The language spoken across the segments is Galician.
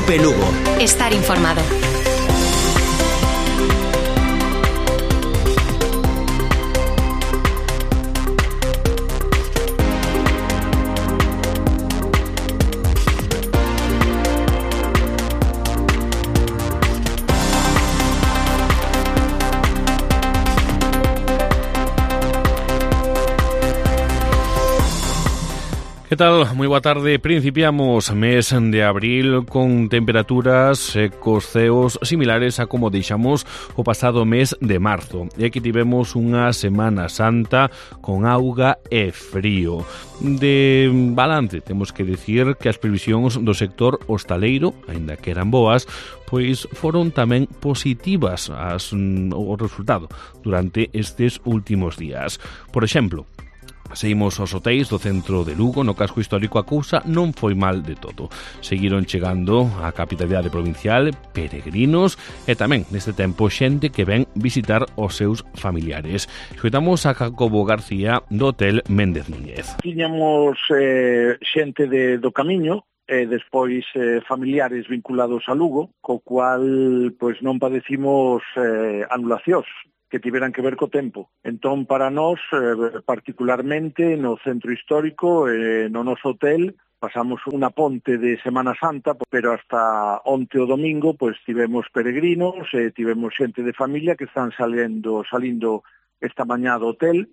Cope Lugo. Estar informado. Que tal? Moi boa tarde. Principiamos mes de abril con temperaturas e cos ceos similares a como deixamos o pasado mes de marzo. E aquí tivemos unha Semana Santa con auga e frío. De balance, temos que dicir que as previsións do sector hostaleiro, aínda que eran boas, pois foron tamén positivas o resultado durante estes últimos días. Por exemplo, seguimos aos hotéis do centro de Lugo, no casco histórico a cousa non foi mal de todo. Seguiron chegando á capitalidade provincial peregrinos e tamén neste tempo xente que ven visitar os seus familiares. Escoitamos a Jacobo García do Hotel Méndez Núñez. Tiñamos xente do Camiño e despois familiares vinculados a Lugo, co cual pois non padecimos anulacións que tiveran que ver co tempo. Entón, para nós, particularmente no centro histórico, no noso hotel, pasamos unha ponte de Semana Santa, pero hasta onte o domingo, pois tivemos peregrinos, tivemos xente de familia que están salindo esta mañá do hotel.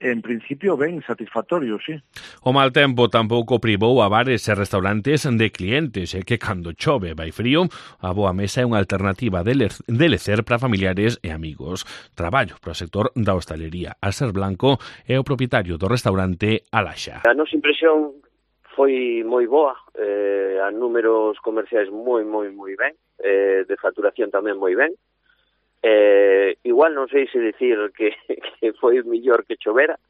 En principio, ben satisfactorio, sí. O mal tempo tampouco privou a bares e restaurantes de clientes, e que cando chove vai frío, a boa mesa é unha alternativa de lecer para familiares e amigos. Traballo para o sector da hostalería. Alser Blanco é o propietario do restaurante Alaxa. A nosa impresión foi moi boa, a números comerciais moi ben, de facturación tamén moi ben. Igual non sei se dicir que foi mellor que chovera,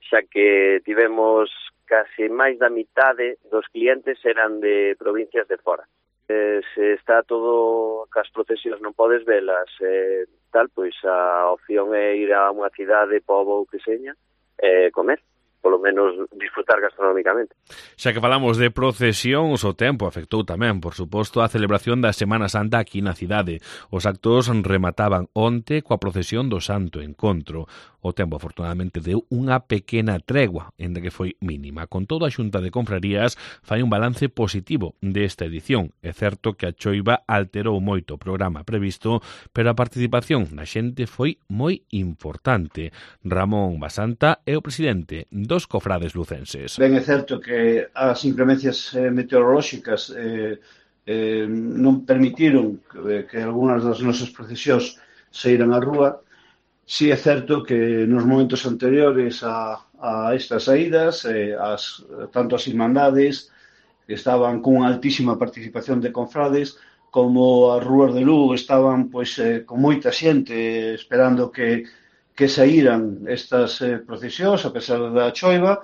xa que tivemos case máis da mitade dos clientes eran de provincias de fora. Se está todo, cas procesións non podes velas, pois a opción é ir a unha cidade, pobo ou que seña, comer, polo menos disfrutar gastronómicamente. Xa que falamos de procesións, o tempo afectou tamén, por suposto, a celebración da Semana Santa aquí na cidade. Os actos remataban onte coa procesión do Santo Encontro. O tempo, afortunadamente, deu unha pequena tregua, ainda que foi mínima. Con todo, a Xunta de Confrarías fai un balance positivo desta edición. É certo que a choiva alterou moito o programa previsto, pero a participación da xente foi moi importante. Ramón Basanta é o presidente dos cofrades lucenses. Ben, é certo que as inclemencias meteorolóxicas non permitiron que algunhas das nosas procesións saíran á rúa. Si é certo que nos momentos anteriores a estas saídas, tanto as irmandades que estaban cunha altísima participación de confrades, como as rúas de Lugo estaban pois con moita xente esperando que saíran estas procesións a pesar da choiva.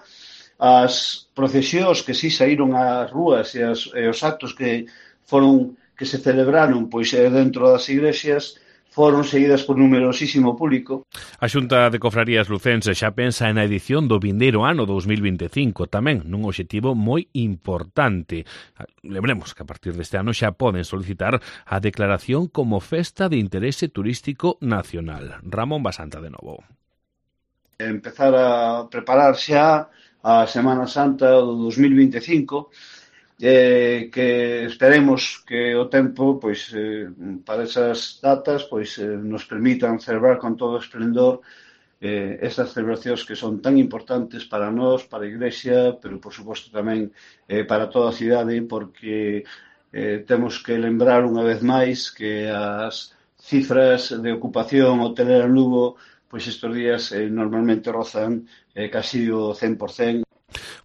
As procesións que si saíron ás rúas e os actos que se celebraron pois dentro das igrexas foron seguidas por numerosísimo público. A Xunta de Cofrarías Lucense xa pensa na edición do vindeiro ano 2025, tamén nun obxectivo moi importante. Lembremos que a partir deste ano xa poden solicitar a declaración como festa de interese turístico nacional. Ramón Basanta de novo. Empezar a preparar xa a Semana Santa do 2025, que esperemos que o tempo pois para esas datas pois nos permitan celebrar con todo esplendor estas celebracións que son tan importantes para nós, para a Igrexa, pero por suposto tamén para toda a cidade, porque temos que lembrar unha vez máis que as cifras de ocupación hotelera en Lugo pois estes días normalmente rozan casi o 100%.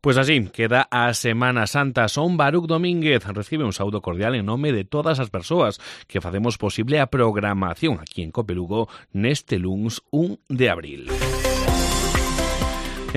Pois así, queda a Semana Santa. Son Baruc Domínguez. Recibe un saúdo cordial en nome de todas as persoas que facemos posible a programación aquí en Cope Lugo neste luns 1 de abril.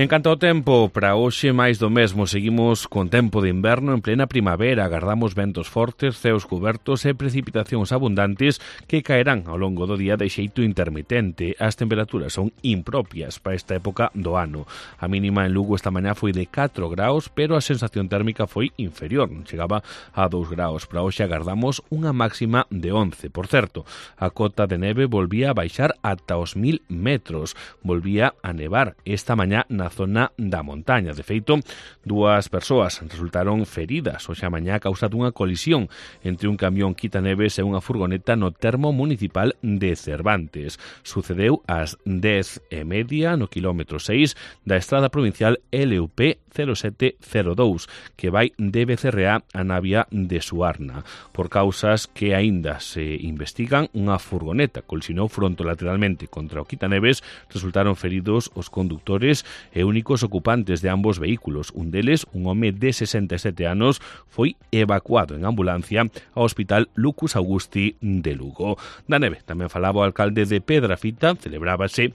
En canto ao tempo, para hoxe máis do mesmo, seguimos con tempo de inverno en plena primavera, agardamos ventos fortes, ceos cubertos e precipitacións abundantes que caerán ao longo do día de xeito intermitente. As temperaturas son impropias para esta época do ano. A mínima en Lugo esta mañá foi de 4 graus, pero a sensación térmica foi inferior, chegaba a 2 graus. Para hoxe agardamos unha máxima de 11. Por certo, a cota de neve volvía a baixar ata os 1000 metros. Volvía a nevar esta mañá na zona da montaña. De feito, 2 persoas resultaron feridas hoxe a mañá a causa dunha colisión entre un camión quitaneves e unha furgoneta no termo municipal de Cervantes. Sucedeu ás 10:30 no quilómetro 6 da estrada provincial LUP 0702, que vai de Becerreá a Navia de Suarna. Por causas que aínda se investigan, unha furgoneta colisionou frontolateralmente contra o quitaneves, resultaron feridos os conductores e únicos ocupantes de ambos vehículos. Un deles, un home de 67 anos, foi evacuado en ambulancia ao Hospital Lucus Augusti de Lugo. Da neve tamén falaba o alcalde de Pedrafita. Celebrábase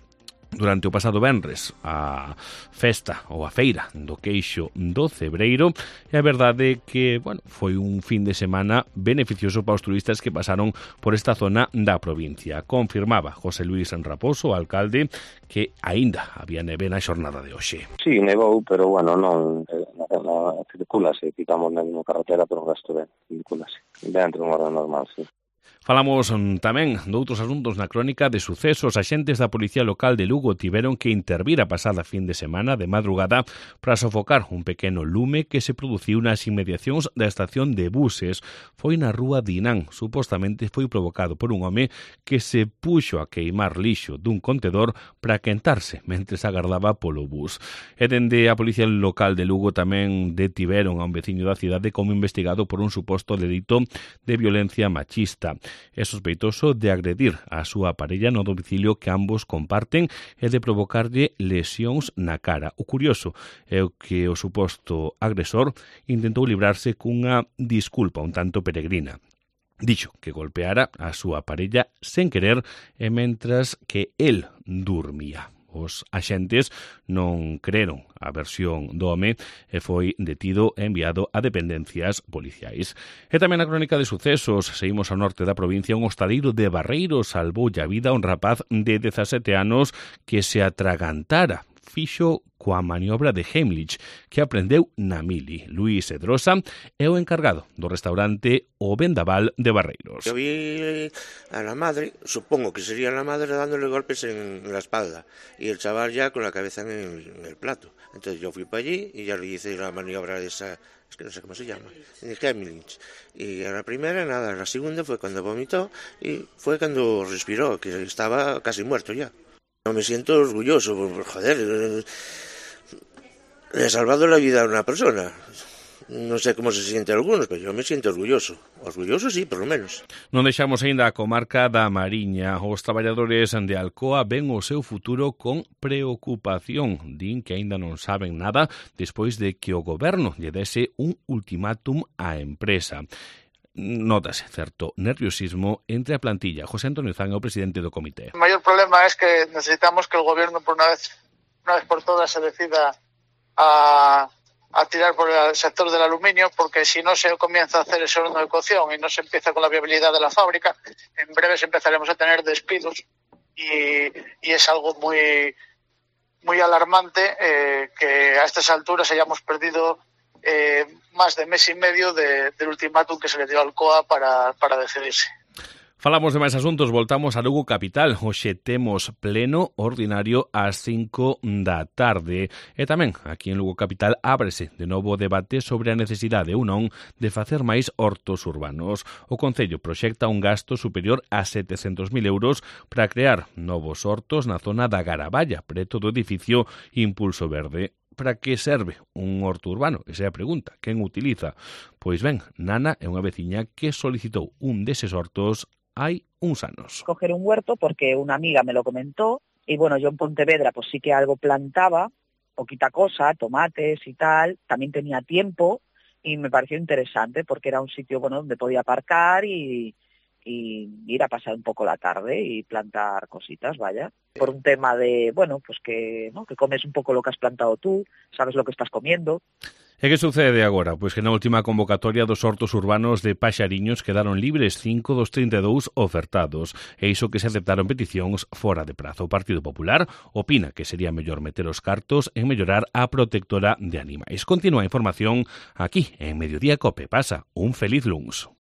durante o pasado venres a festa ou a feira do queixo do Cebreiro, e a verdade é que, foi un fin de semana beneficioso para os turistas que pasaron por esta zona da provincia. Confirmaba José Luis Raposo, o alcalde, que aínda había neve na xornada de hoxe. Sí, nevou, pero non circulase, ficamos na carretera, pero o resto circulase dentro de unha hora normal, sí. Falamos tamén doutros asuntos na crónica de sucesos. Axentes da Policía Local de Lugo tiveron que intervir a pasada fin de semana de madrugada para sofocar un pequeno lume que se produciu nas inmediacións da estación de buses. Foi na rúa Dinán. Supostamente foi provocado por un home que se puxo a queimar lixo dun contedor para quentarse mentres agardaba polo bus. E dende a Policía Local de Lugo tamén detiveron a un veciño da cidade como investigado por un suposto delito de violencia machista. É sospeitoso de agredir a súa parella no domicilio que ambos comparten e de provocarlle lesións na cara. O curioso é que o suposto agresor intentou librarse cunha disculpa un tanto peregrina. Dixo que golpeara a súa parella sen querer e mentras que el dormía. Os axentes non creron a versión do home e foi detido e enviado a dependencias policiais. E tamén na crónica de sucesos, seguimos ao norte da provincia, un hostadeiro de Barreiro salvoulle a vida a un rapaz de 17 anos que se atragantara. Fixo coa maniobra de Heimlich que aprendeu na mili. Luís Edrosa é o encargado do restaurante O Vendaval de Barreiros. Yo vi a la madre, supongo que sería la madre dándole golpes en la espalda y el chaval ya con la cabeza en el plato. Entonces yo fui para allí y ya le hice la maniobra de esa, es que no sé cómo se llama, de Heimlich. Y a la primera nada, la segunda fue cuando vomitó y fue cuando respiró, que estaba casi muerto ya. No me siento orgulloso, joder, le he salvado la vida a una persona. Non sei como se siente algunos, pero yo me siento orgulloso. Orgulloso sí, por lo menos. Non deixamos aínda a comarca da Mariña. Os traballadores de Alcoa ven o seu futuro con preocupación. Din que aínda non saben nada despois de que o goberno lle dese un ultimátum á empresa. Notase certo nerviosismo entre a plantilla. José Antonio Zan é o presidente do comité. El mayor problema es que necesitamos que el gobierno por una vez por todas se decida a tirar por el sector del aluminio, porque si no se comienza a hacer ese horno de cocción y no se empieza con la viabilidad de la fábrica, en breves empezaremos a tener despidos y es algo muy, muy alarmante que a estas alturas hayamos perdido más de mes y medio del ultimátum que se le dio al COA para decidirse. Falamos de máis asuntos, voltamos a Lugo capital. Hoxe temos pleno ordinario ás 5 da tarde. E tamén, aquí en Lugo capital, ábrese de novo o debate sobre a necesidade ou non de facer máis hortos urbanos. O Concello proxecta un gasto superior a 700.000 euros para crear novos hortos na zona da Garaballa, preto do edificio Impulso Verde. Para que serve un horto urbano? Esa é a pregunta. Quen utiliza? Pois ben, Nana é unha veciña que solicitou un deses hortos hai uns anos. Coger un huerto porque una amiga me lo comentó y bueno, yo en Pontevedra pues sí que algo plantaba, poquita cosa, tomates y tal, también tenía tiempo y me pareció interesante porque era un sitio bueno donde podía aparcar y y ir a pasar un poco la tarde y plantar cositas, vaya. Por un tema de, bueno, pues que, ¿no?, que comes un poco lo que has plantado tú, sabes lo que estás comiendo. E que sucede agora? Pois que na última convocatoria dos hortos urbanos de Paxariños quedaron libres 5 dos 32 ofertados, e iso que se aceptaron peticións fora de prazo. O Partido Popular opina que sería mellor meter os cartos en mellorar a protectora de animais. Continúa a información aquí en Mediodía Cope. Pasa un feliz luns.